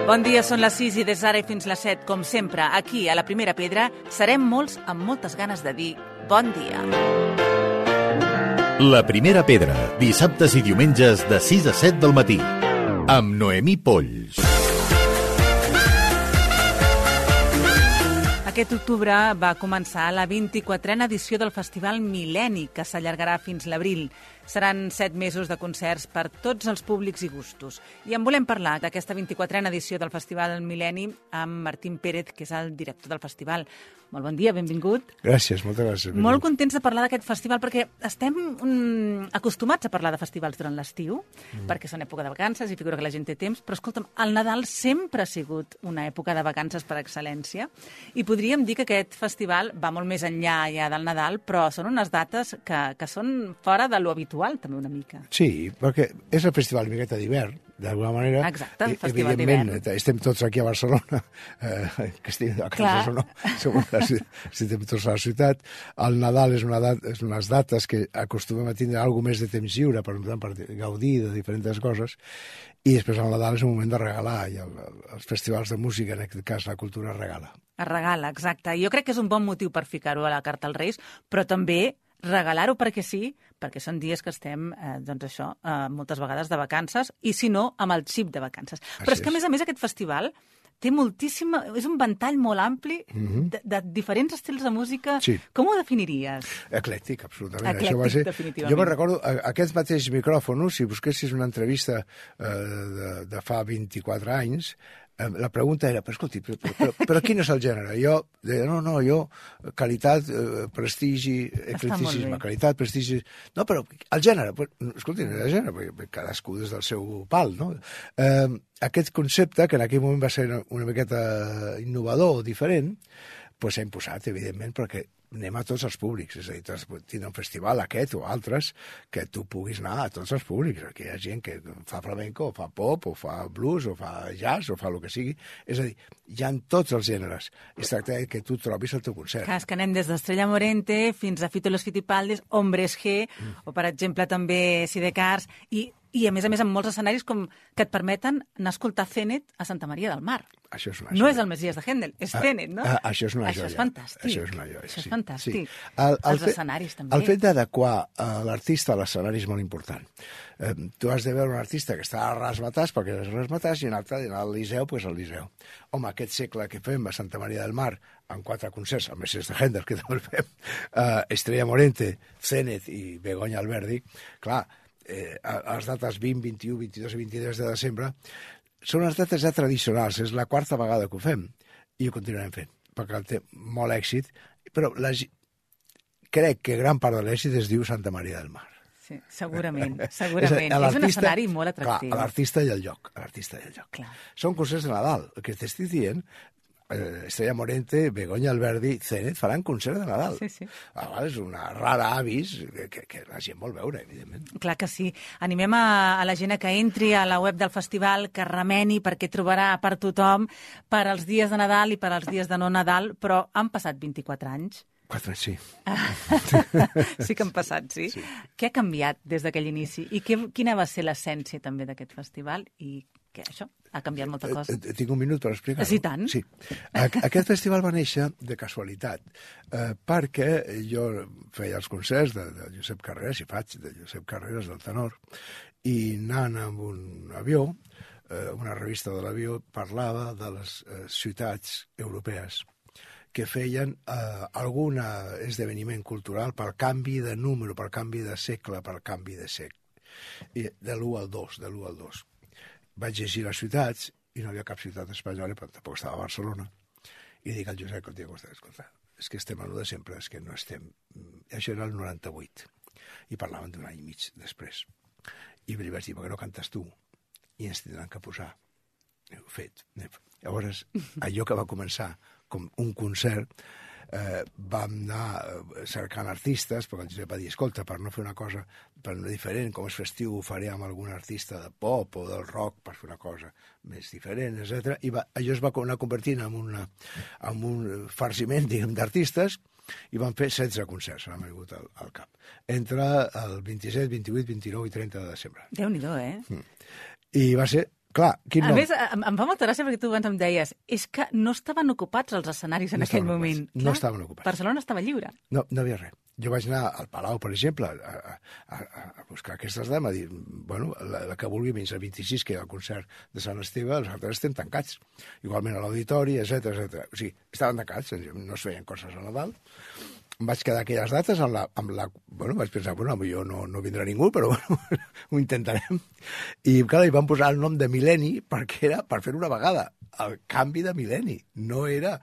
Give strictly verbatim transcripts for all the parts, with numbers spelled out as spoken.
Bon dia, són les sis i des d'ara i fins les set, com sempre, aquí a la Primera Pedra, serem molts amb moltes ganes de dir bon dia. La Primera Pedra, dissabtes i diumenges de sis a set del matí, amb Noemí Polls. Aquest octubre va començar la vint-i-quatrena edició del Festival Mil·lenni, que s'allargarà fins l'abril. Seran set mesos de concerts per tots els públics i gustos. I en volem parlar d'aquesta vint-i-quatrena edició del Festival Mil·lenni amb Martín Pérez, que és el director del festival. Molt bon dia, benvingut. Gràcies, moltes gràcies. Benvingut. Molt contents de parlar d'aquest festival perquè estem um, acostumats a parlar de festivals durant l'estiu, mm. perquè són època de vacances i figura que la gent té temps, però escolta'm, el Nadal sempre ha sigut una època de vacances per excel·lència i podríem dir que aquest festival va molt més enllà ja del Nadal, però són unes dates que, que són fora de lo habitual, també una mica. Sí, perquè és el festival miqueta d'hivern, d'alguna manera. Exacte, el festival d'hivern. Estem tots aquí a Barcelona, eh, que estem a casa o no, som estem tots a la ciutat. El Nadal és, una dat, és unes dates que acostumem a tindre alguna més de temps lliure, per, per gaudir de diferents coses, i després el Nadal és un moment de regalar, i el, els festivals de música, en aquest cas la cultura regala. Es regala, exacte. Jo crec que és un bon motiu per ficar-ho a la carta als Reis, però també regalar-ho perquè sí, perquè són dies que estem, eh, doncs això, eh, moltes vegades de vacances, i si no, amb el xip de vacances. Així Però és que, a més a més, aquest festival té moltíssima... És un ventall molt ampli mm-hmm. de, de diferents estils de música. Sí. Com ho definiries? Eclèctic, absolutament. Eclèctic, Això va ser... definitivament. Jo me'n recordo, aquest mateix micròfon, si busquessis una entrevista eh, de, de fa vint-i-quatre anys, la pregunta era, però escolti, però, però, però quin és el gènere? Jo deia, no, no, jo, qualitat, eh, prestigi, eclecticisme, qualitat, prestigi... No, però el gènere, pues, escolti, no era gènere, perquè cadascú des del seu pal, no? Eh, aquest concepte, que en aquell moment va ser una miqueta innovador o diferent, pues s'ha imposat, evidentment, perquè anem a tots els públics, és a dir, tindre un festival aquest o altres que tu puguis anar a tots els públics. Aquí hi ha gent que fa flamenco, o fa pop, o fa blues, o fa jazz, o fa el que sigui. És a dir, hi ha tots els gèneres. Es tracta que tu trobis el teu concert. Clar, és que anem des d'Estrella Morente fins a Fito y los Fitipaldis, Hombres G, mm. o per exemple també Sidecars, i I, a més a més, amb molts escenaris com que et permeten anar a escoltar Zenet a Santa Maria del Mar. Això és una no és el Messies de Händel, és ah, Zenet, no? Ah, això és una això joia. És fantàstic. Això és una joia, Això és sí. fantàstic. Sí. El, el Els fet, escenaris, també. El fet d'adequar uh, l'artista a l'escenari és molt important. Eh, tu has de veure un artista que està a Rasmatàs, perquè és Rasmatàs, i un altre al Liceu, doncs al Liceu. Home, aquest segle que fem a Santa Maria del Mar, amb quatre concerts, el Messies de Händel, que també el fem, uh, Estrella Morente, Zenet i Begoña Alberdi, clar, Eh, a les dates vint, vint-i-u, vint-i-dos i vint-i-tres de desembre, són les dates ja tradicionals, és la quarta vegada que ho fem, i ho continuarem fent, perquè té molt èxit, però la, crec que gran part de l'èxit es diu Santa Maria del Mar. Sí, segurament, segurament. És, és un escenari molt atractiu. Clar, l'artista i el lloc, l'artista i el lloc. Clar. Són concerts de Nadal, el que t'estic dient, Estrella Morente, Begoña Alberdi, Zenet faran concert de Nadal. Sí, sí. Ah, és una rara avis que, que la gent vol veure, evidentment. Clar que sí. Animem a, a la gent que entri a la web del festival, que remeni, perquè trobarà per tothom, per als dies de Nadal i per als dies de no Nadal, però han passat vint-i-quatre anys. Quatre, sí. Sí que han passat, sí. sí. Què ha canviat des d'aquell inici? I que, quina va ser l'essència també d'aquest festival? I què, això? Ha canviat molta cosa. Eh, tinc un minut per explicar-ho. Sí, tant. Sí. Aquest festival va néixer de casualitat, eh, perquè jo feia els concerts de, de Josep Carreras, i faig de Josep Carreras, del tenor, i anant amb un avió, eh, una revista de l'avió parlava de les eh, ciutats europees que feien eh, algun esdeveniment cultural pel canvi de número, pel canvi de segle, pel canvi de sec. I de l'u al dos, de l'u al dos. Vaig llegir les ciutats i no hi havia cap ciutat espanyola, però tampoc estava a Barcelona. I dic al Josep, escolta, és que estem a l'u de sempre, és que no estem... Això era el noranta-vuit. I parlaven d'un any i mig després. I li vaig dir, per què no cantes tu? I ens tindran que posar. Ho he fet. Llavors, allò que va començar com un concert, eh, vam anar cercant artistes, perquè el Josep va dir, escolta, per no fer una cosa per no diferent, com és festiu, ho faré amb algun artista de pop o del rock per fer una cosa més diferent, etcètera. I va, allò es va anar convertint en, una, en un farciment, diguem, d'artistes, i van fer setze concerts, m'ha vingut al, al cap, entre el vint-i-set, vint-i-vuit, vint-i-nou i trenta de desembre. Déu-n'hi-do, eh? Mm. I va ser clar, quin A nom? més, em, em fa molta gràcia perquè tu abans em deies és que no estaven ocupats els escenaris en No aquell estaven moment. ocupats, no estaven ocupats. Barcelona estava lliure. No, no havia res. Jo vaig anar al Palau, per exemple, a, a, a buscar aquestes dames, a dir, bueno, la, la que vulgui menys el vint-i-sis, que hi ha el concert de Sant Esteve, els altres estem tancats. Igualment a l'auditori, etcètera, etcètera. O sigui, estaven tancats, no es feien coses a Nadal. Em vaig quedar aquelles dates amb la... Amb la bueno, vaig pensar, bueno, jo no, no vindrà ningú, però bueno, ho intentarem. I, clar, hi van posar el nom de mil·lenni perquè era per fer una vegada el canvi de mil·lenni. No era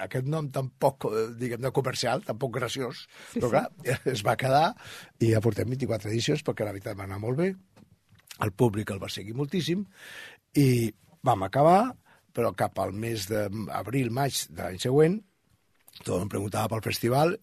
aquest nom tan poc, diguem, de comercial, tan poc graciós, sí, però clar, sí. Es va quedar i ja portem vint-i-quatre edicions perquè la veritat va anar molt bé, el públic el va seguir moltíssim i vam acabar, però cap al mes d'abril, maig de l'any següent, tothom em preguntava pel festival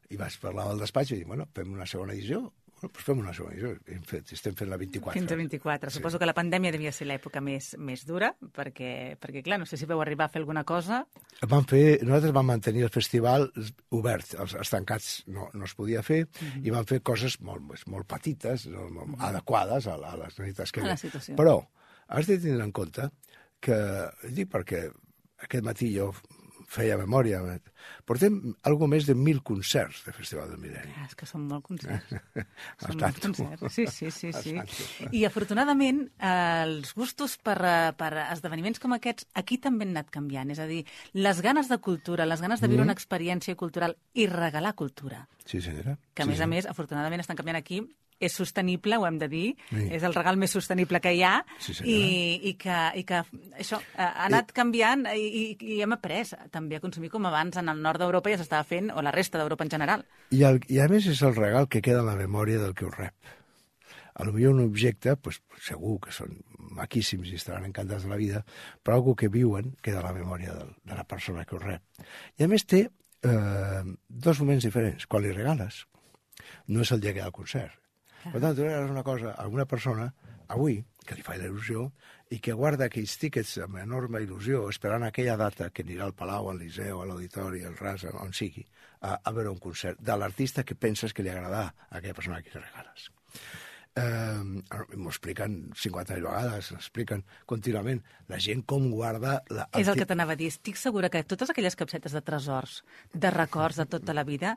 i vaig parlar al despatx i dir, bueno, fem una segona edició. Bueno, doncs fem una segona edició. Hem fet, estem fent la vint-i-quatre. Fins a vint-i-quatre. Sí. Suposo que la pandèmia devia ser l'època més, més dura, perquè, perquè, clar, no sé si vau arribar a fer alguna cosa. Vam fer, nosaltres vam mantenir el festival obert, els, els tancats no, no es podia fer, mm-hmm. i vam fer coses molt, molt petites, molt, molt mm-hmm. adequades a, la, a les necessitats que hi havia. Però has de tenir en compte que, dic perquè aquest matí jo feia memòria, portem algo més de mil concerts de Festival del Mil·lenni. És que són molt concerts. Són molts concerts. Sí, sí, sí. sí. I afortunadament els gustos per, per esdeveniments com aquests aquí també han anat canviant. És a dir, les ganes de cultura, les ganes de viure mm. una experiència cultural i regalar cultura. Sí, senyora. Que a sí, més a sí. més, afortunadament estan canviant aquí. És sostenible, ho hem de dir, sí. és el regal més sostenible que hi ha, sí, i, i, que, i que això ha anat I... canviant i, i, i hem après també a consumir com abans en el nord d'Europa ja s'estava fent, o la resta d'Europa en general. I, el, I a més és el regal que queda en la memòria del que ho rep. A lo millor un objecte, pues, segur que són maquíssims i estaran encantats de la vida, però algo que viuen queda a la memòria del, de la persona que ho rep. I a més té eh, dos moments diferents. Quan li regales, no és el dia que hi ha el concert. Per tant, tu regales una cosa a alguna persona, avui, que li fa la il·lusió, i que guarda aquells tíquets amb enorme il·lusió, esperant aquella data que anirà al Palau, al Liceu, a l'Auditori, al Ras, on sigui, a, a veure un concert de l'artista que penses que li agradarà a aquella persona a qui li regales. Eh, m'ho expliquen cinquanta mil vegades, expliquen contínuament la gent com guarda... La... És el que t'anava a dir. Estic segura que totes aquelles capsetes de tresors, de records de tota la vida...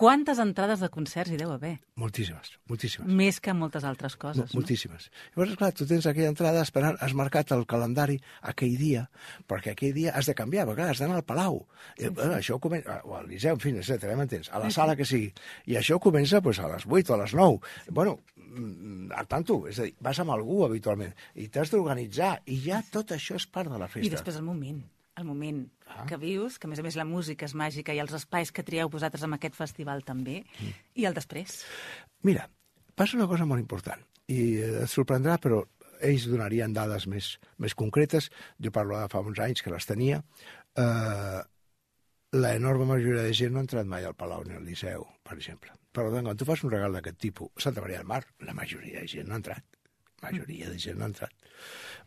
Quantes entrades de concerts hi deu haver? Moltíssimes, moltíssimes. Més que moltes altres coses, no? Moltíssimes. Llavors, clar, tu tens aquella entrada esperant, has marcat el calendari aquell dia, perquè aquell dia has de canviar, perquè clar, has d'anar al Palau. Sí, sí. Bueno, això comença, o al Liceu, en fi, etcètera, m'entens? A la sí, sala sí. que sigui. I això comença pues, a les vuit o a les nou. Bueno, al tanto, és a dir, vas amb algú habitualment, i t'has d'organitzar, i ja tot això és part de la festa. I després el moment. el moment ah. que vius, que a més a més la música és màgica i els espais que trieu vosaltres en aquest festival també, mm. i el després. Mira, passa una cosa molt important, i et sorprendrà, però ells donarien dades més, més concretes. Jo parlo de fa uns anys que les tenia. Eh, la enorme majoria de gent no ha entrat mai al Palau ni al Liceu, per exemple. Per tant, quan tu fas un regal d'aquest tipus, Santa Maria del Mar, la majoria de gent no ha entrat. La majoria de gent no ha entrat.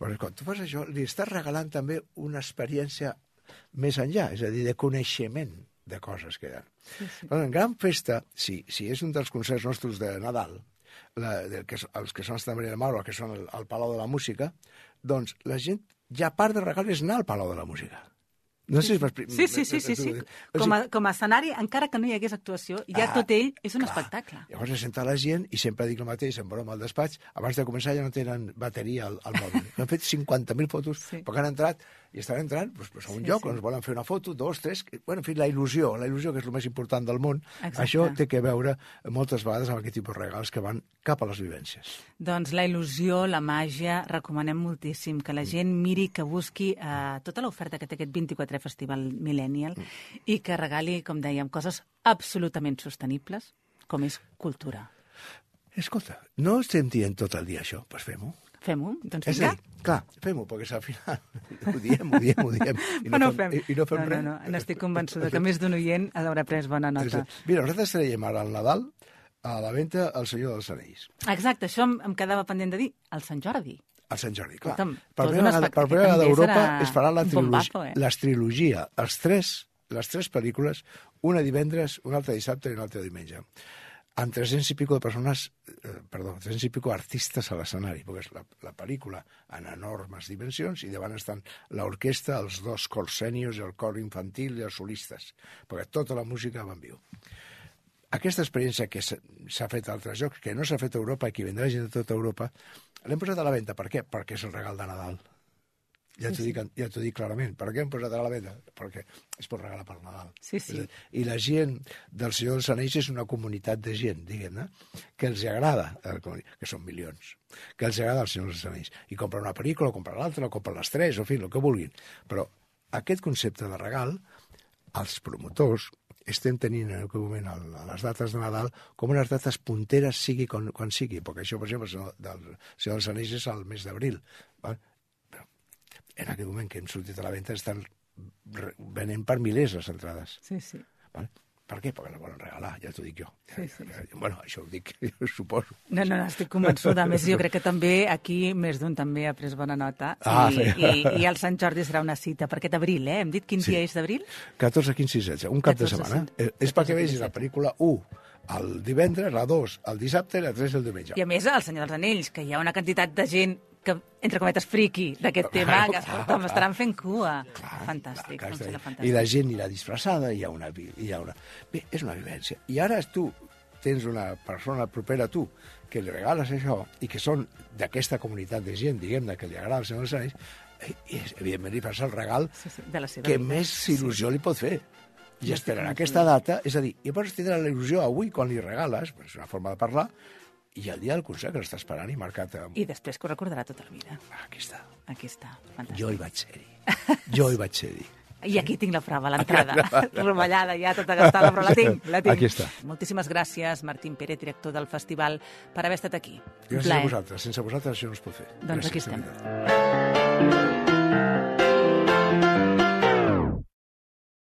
Però quan tu fas això, li estàs regalant també una experiència més enllà, és a dir, de coneixement de coses que hi ha. Sí, sí. Però en gran festa, si, si és un dels concerts nostres de Nadal, la, de, que, els que són Santa Maria del Mar o que són el, el Palau de la Música, doncs la gent ja part de regal és anar al Palau de la Música. No sé si sí, sí, sí, sí, sí. Com, a, com a escenari, encara que no hi hagués actuació, ja ah, tot ell és un clar. espectacle. Llavors se senta la gent i sempre dic el mateix, en broma al despatx, abans de començar ja no tenen bateria al, al mòbil. Han fet cinquanta mil fotos, sí. perquè han entrat i estan entrant pues, pues, a un sí, lloc sí. on es volen fer una foto, dos, tres... Bueno, en fi, la il·lusió, la il·lusió que és el més important del món, exacte. Això té que veure moltes vegades amb aquest tipus de regals que van cap a les vivències. Doncs la il·lusió, la màgia, recomanem moltíssim que la gent miri, que busqui eh, tota l'oferta que té aquest vint-i-quatre Festival Millennial mm. i que regali, com dèiem, coses absolutament sostenibles, com és cultura. Escolta, no estem dient tot el dia això, doncs fem-ho. Fem-ho? Doncs és a dir, clar, fem-ho, perquè al final ho diem, ho diem, ho diem, i no, no fem, fem. I, i no fem no, res. No, no, n'estic convençuda que més d'un oient haurà pres bona nota. Mira, nosaltres traiem ara al Nadal a la venda el Senyor dels Anells. Exacte, això em, em quedava pendent de dir, el Sant Jordi. El Sant Jordi, clar. Escolta'm, per primera vegada, per primera vegada d'Europa es farà la trilogia, bombazo, eh? les trilogia, els tres, les tres pel·lícules, una divendres, una altra dissabte i una altra diumenge. amb tres-cents i pico de persones, eh, perdó, tres-cents i pico artistes a l'escenari, perquè és la, la pel·lícula en enormes dimensions i davant estan l'orquestra, els dos cors sèniors, el cor infantil i els solistes, perquè tota la música va en viu. Aquesta experiència que s'ha fet a altres llocs, que no s'ha fet a Europa i que vindrà gent de tota Europa, l'hem posat a la venda. Per què? Perquè és el regal de Nadal. Ja t'ho dic, ja t'ho dic clarament. Per què hem posat a la venda? Perquè es pot regalar per Nadal. Sí, sí. I la gent del Senyor dels Anells és una comunitat de gent, diguem-ne, que els agrada, que són milions, que els agrada el Senyor dels Anells. I compren una pel·lícula, o compren l'altra, o compren les tres, o en fi, el que vulguin. Però aquest concepte de regal, els promotors estem tenint en aquest moment a les dates de Nadal com unes dates punteres sigui quan, quan sigui, perquè això, per exemple, el Senyor dels Anells és al mes d'abril. Però en aquest moment que hem sortit a la venda estan venent per milers les entrades. Sí, sí. Vale? Per què? Perquè la volen regalar, ja t'ho dic jo. Sí, sí, sí. Bueno, això ho dic, jo suposo. No, no, no, estic convençuda. A més, jo crec que també aquí més d'un també ha pres bona nota. Ah, I, sí. i, I el Sant Jordi serà una cita per aquest abril, eh? Hem dit quin Sí. dia és d'abril? catorze, quinze i setze, un cap de catorze, setmana. sí. Eh, És perquè vegis la pel·lícula u el divendres, la dos el dissabte i la tres el diumenge. I a més, el Senyor dels Anells, que hi ha una quantitat de gent que, entre cometes, friqui d'aquest tema, que escolta'm, estaran fent cua. Fantàstic, Clar, em clar, sembla I fantàstic. la gent anirà disfressada, hi ha una... Hi ha una... Bé, és una vivència. I ara tu tens una persona propera a tu que li regales això i que són d'aquesta comunitat de gent, diguem-ne, que li agrada el Senyor dels Anells, i, evidentment, li fas el regal Sí, sí, de la seva que vida. més il·lusió li pot fer. I Ja esperarà estic aquesta data, és a dir, i llavors tindrà la il·lusió avui quan li regales, és una forma de parlar, i el dia del concert que l'està esperant i marcat amb... I després que ho recordarà tota la vida. Ah, aquí està. Aquí està, fantàstic. Jo hi vaig ser-hi. Jo hi vaig ser-hi. I aquí tinc la prova, l'entrada. Rovellada ja, tota gastada, però la tinc, la tinc. Aquí està. Moltíssimes gràcies, Martín Pérez, director del festival, per haver estat aquí. Un Gràcies plaer. a vosaltres. Sense vosaltres això no es pot fer. Doncs Gràcies, aquí de estem. veritat.